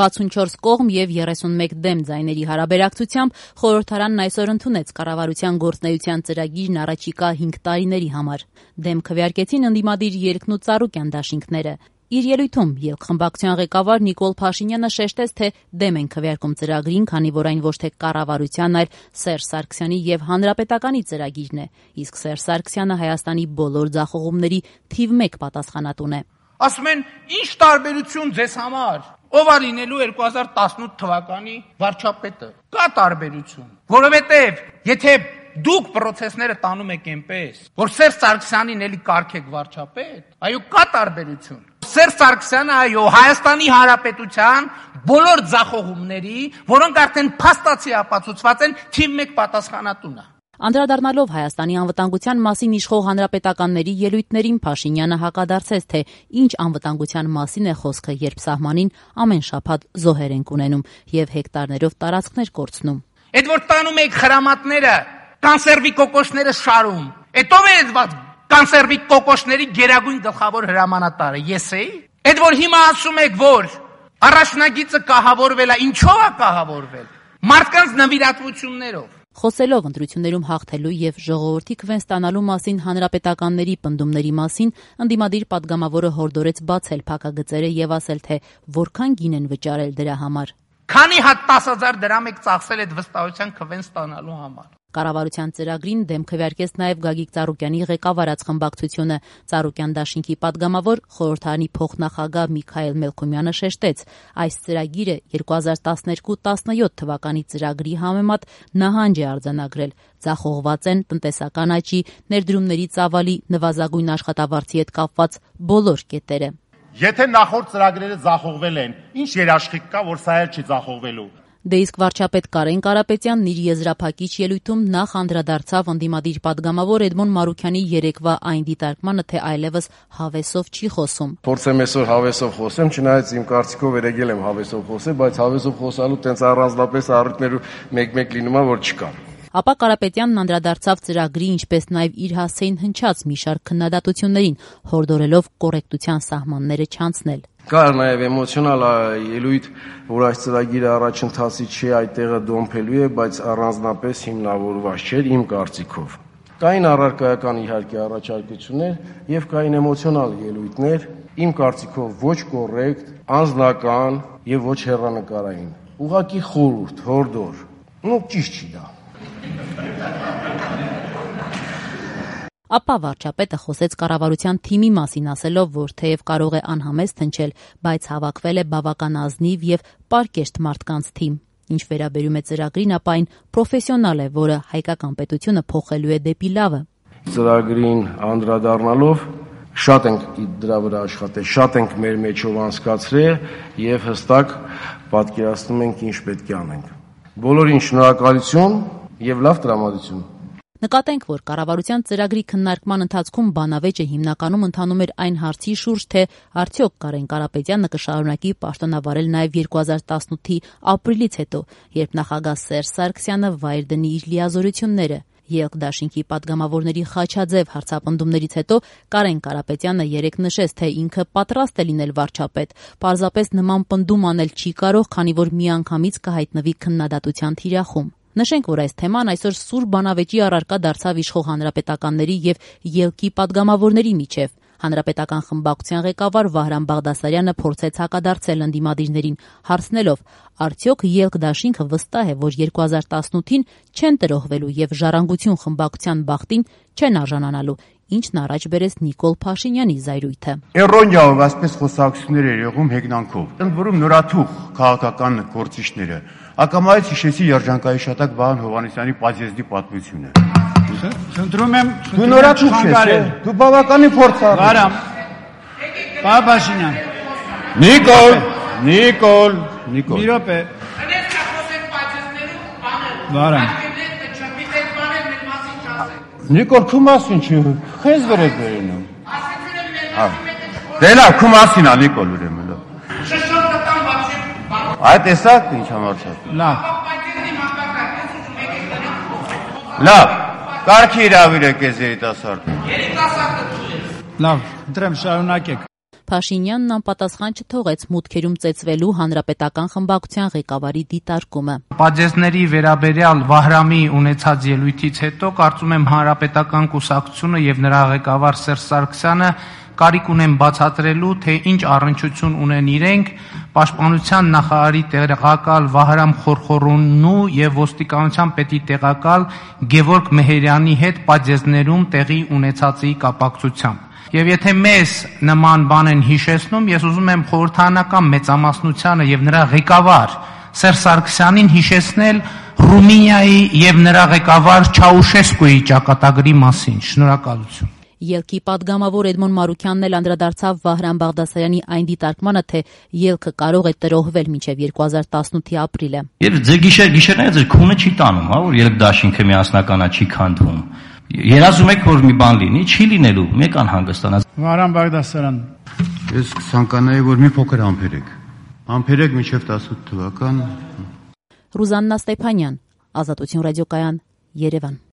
64 կողմ եւ 31 դեմ ձայների հարաբերակցությամբ խորհրդարանն այսօր ընդունեց կառավարության գործունեության ծրագիրն առաջիկա 5 տարիների համար։ Դեմ քվեարկեցին ընդդիմադիր ելքն ու Ծառուկյան դաշինքները։ Իր ելույթում ելքխմբակցության ղեկավար Նիկոլ Փաշինյանը շեշտեց, թե դեմ են քվեարկում ծրագրին, քանի որ այն ոչ թե կառավարության, այլ Սերժ Սարգսյանի եւ Հանրապետականի ծրագիրն է, իսկ Սերժ Սարգսյանը Հայաստանի բոլոր ձախողումների թիվ 1 պատասխանատուն է։ Ասում են, ինչ տարբերություն ձեզ համար, ով է լինելու 2018 թվականի վարչապետը։ Կա տարբերություն, որովհետև եթե դուք պրոցեսները տանում եք այնպես, որ Սերժ Սարգսյանին էլի կարգեք վարչապետ, այո, կա տարբերություն։ Սերժ Սարգսյանը, այո, Հայաստանի Հանրապետության բոլոր ձախողումների, որոնք արդեն փաստացի ապացուցված են, թիվ 1 պատասխանատուն է։ Անդրադառնալով Հայաստանի անվտանգության մասին իշխող հանրապետականների ելույթներին, Փաշինյանը հակադարձեց, թե ինչ անվտանգության մասին է խոսքը, երբ սահմանին ամեն շաբաթ զոհեր ենք ունենում եւ հեկտարներով տարածքներ կորցնում։ Այդ որ տանում եք խրամատները, կանսերվի կոկոշները շարում, այդ ով է այդ կանսերվի կոկոշների գերագույն գլխավոր հրամանատարը, ես էի։ Այդ որ հիմա ասում եք, որ առաջնագիծը կահավորվել է, ինչով է կահավորվել։ Մարդկանց նվիրատվություններով։ Խոսելով ընտրություններում հաղթելու եւ ժողովրդի քվեն ստանալու մասին հանրապետականների պնդումների մասին, ընդդիմադիր падգամավորը հորդորեց բացել փակագծերը եւ ասել, թե որքան գին են վճարել դրա համար։ Քանի հատ 10,000 դրամ եք ծախսել այդ վստահության քվեն ստանալու համար։ Կառավարության ծրագրին դեմ քվեարկեց նաև Գագիկ Ծառուկյանի ղեկավարած խմբակցությունը։ Ծառուկյան դաշինքի падգամավոր խորհրդարանի փոխնախագահ Միքայել Մելքումյանը շեշտեց, այս ծրագիրը 2012-17 թվականի ծրագրի համեմատ նահանջ է արձանագրել։ Ձախողված են տնտեսական աճի, ներդրումների ծավալի, նվազագույն աշխատավարձի հետ կապված բոլոր կետերը։ Եթե նախորդ ծրագրերը ձախողվել են, ինչ երաշխիք կա, որ սա էլ չի ձախողվելու։ Դե իսկ վարչապետ Կարեն Կարապետյանն իր եզրափակիչ ելույթում նախ անդրադարձավ ընդդիմադիր падգամավոր Էդմոն Մարուքյանի երեկվա այն դիտարկմանը, թե այլևս հավեսով չի խոսում։ Փորձեմ այսօր հավեսով խոսեմ, չնայած իմ կարծիքով երեգել եմ հավեսով խոսել, բայց հավեսով խոսալու տենց առանձնապես առիթներու մեկ-մեկ լինում է, որ չկա։ Ապա Կարապետյանն անդրադարձավ ծրագրի, ինչպես նաև իր հասցեին հնչած մի շարք քննադատություններին, հորդորելով կոռեկտության սահմանները չանցնել։ Կար նաև էմոցիոնալ ելույթ, որ այս ծրագիրը առաջընթացի չի, այդտեղը դոմփելու է, բայց առանձնապես հիմնավորված չէր իմ կարծիքով։ Կային առարկայական իհարկե առաջարկություններ եւ կային էմոցիոնալ ելույթներ, իմ կարծիքով ոչ կոռեկտ, անձնական եւ ոչ հեռանկարային։ Ուղղակի խորհուրդ, հորդոր։ Ճիշտ չի դա։ Ապա վարչապետը խոսեց կառավարության թիմի մասին, ասելով, որ թեև կարող է անհամեստ հնչել, բայց հավաքվել է բավական ազնիվ եւ պարկեշտ մարդկանց թիմ։ Ինչ վերաբերում է ծրագրին, ապա այն պրոֆեսիոնալ է, որը հայկական պետությունը փոխելու է դեպի լավը։ Ծրագրին անդրադառնալով շատ ենք դրա վրա աշխատել, շատ ենք մեր մեջով անցկացրել եւ հստակ պատկերացնում ենք ինչ պետք է անենք։ Բոլորին շնորհակալություն եւ լավ տրամադրություն։ Նկատենք, որ կառավարության ծրագրի քննարկման ընթացքում բանավեճը հիմնականում ընթանում էր այն հարցի շուրջ, թե արդյոք Կարեն Կարապետյանը կշարունակի պաշտոնավարել նաև 2018-ի ապրիլից հետո, երբ նախագահ Սերժ Սարգսյանը վայր դնի իր լիազորությունները։ Ելք դաշինքի падգամավորների խաչաձև հարցապնդումներից հետո Կարեն Կարապետյանը երեկ նշեց, թե ինքը պատրաստ է լինել վարչապետ, պարզապես նման պնդում անել չի կարող, քանի որ միանգամից կհայտնվի քննադատության թիրախում։ Նշենք, որ այս թեման այսօր սուր բանավեճի առարկա դարձավ իշխող հանրապետականների եւ ելքի падգամավորների միջև։ Հանրապետական խմբակցության ղեկավար Վահրամ Բաղդասարյանը փորձեց հակադարձել ընդդիմադիրներին, հարցնելով, արդյոք ելք դաշինքը վստահ է, որ 2018-ին չեն տրոհվելու եւ ժառանգություն խմբակցության բախտին չեն արժանանալու, ինչն առաջ բերեց Նիկոլ Փաշինյանի զայրույթը։ Էրոնիայով այսպես խոսակցություններ էր եղում հեգնանքով։ Ընդ որում նորաթուխ քաղաքական գործիչները ակամայից հիշեցի երջանկայի շատակ Վահան Հովհաննիսյանի Պազեզդի պատմությունը։ Խնդրում եմ, դու նորաթուխ ես, դու բավականին փորձառու։ Վարամ։ Փաշինյան։ Նիկոլ։ Մի րոպե։ Վարամ։ Նիկոլ, քո մասին չի, քեզ վրա վերենում։ Դե լավ, քո մասին է Նիկոլ ուրեմն։ Այդ տեսակ ինչ համարցած։ Լավ, կարգի իրավիրեք ես երիտասարդը։ Լավ, ընտրեմ շարունակեք։ Փաշինյանն անպատասխան չթողեց մուտքերում ծեծվելու հանրապետական խմբակցության ղեկավարի դիտարկումը։ Պատժեզների վերաբերյալ Վահրամի ունեցած ելույթից հետո կարծում եմ հանրապետական կուսակցությունը եւ նրա ղեկավար Սերժ Սարգսյանը կարիք ունեն բացատրելու, թե ինչ առնչություն ունեն իրենք Պաշտպանության նախարարի տեղակալ Վահրամ Խորխորոնու եւ ոստիկանության պետի տեղակալ Գևորգ Մեհերյանի հետ պատժեզներում տեղի ունեցածի կապակցությամբ։ Եվ եթե մեզ նման բան են հիշեցնում, ես ուզում եմ խորհրդարանական մեծամասնությանը եւ նրա ղեկավար Սերժ Սարգսյանին հիշեցնել Ռումինիայի եւ նրա ղեկավար Չաուշեսկուի ճակատագրի մասին։ Շնորհակալություն։ Ելքի падգամավոր Էդմոն Մարուքյանն էլ անդրադարձավ Վահրամ Բաղդասարյանի այն դիտարկմանը, թե ելքը կարող է տրոհվել մինչև 2018-ի ապրիլը։ Եվ ձեր գիշերները ձեր քունը չի տանում, հա, որ ելք դաշինքը միասնականա չի քանդվում։ Երազում եք, որ մի բան լինի, չի լինելու, մեկ անհանգստանաց։ Վահրամ Բաղդասարյան։ Ես կցանկանայի, որ մի փոքր ամփերեք մինչև 18 թվական։ Ռուզաննա Ստեփանյան, Ազատություն ռադիոկայան, Երևան։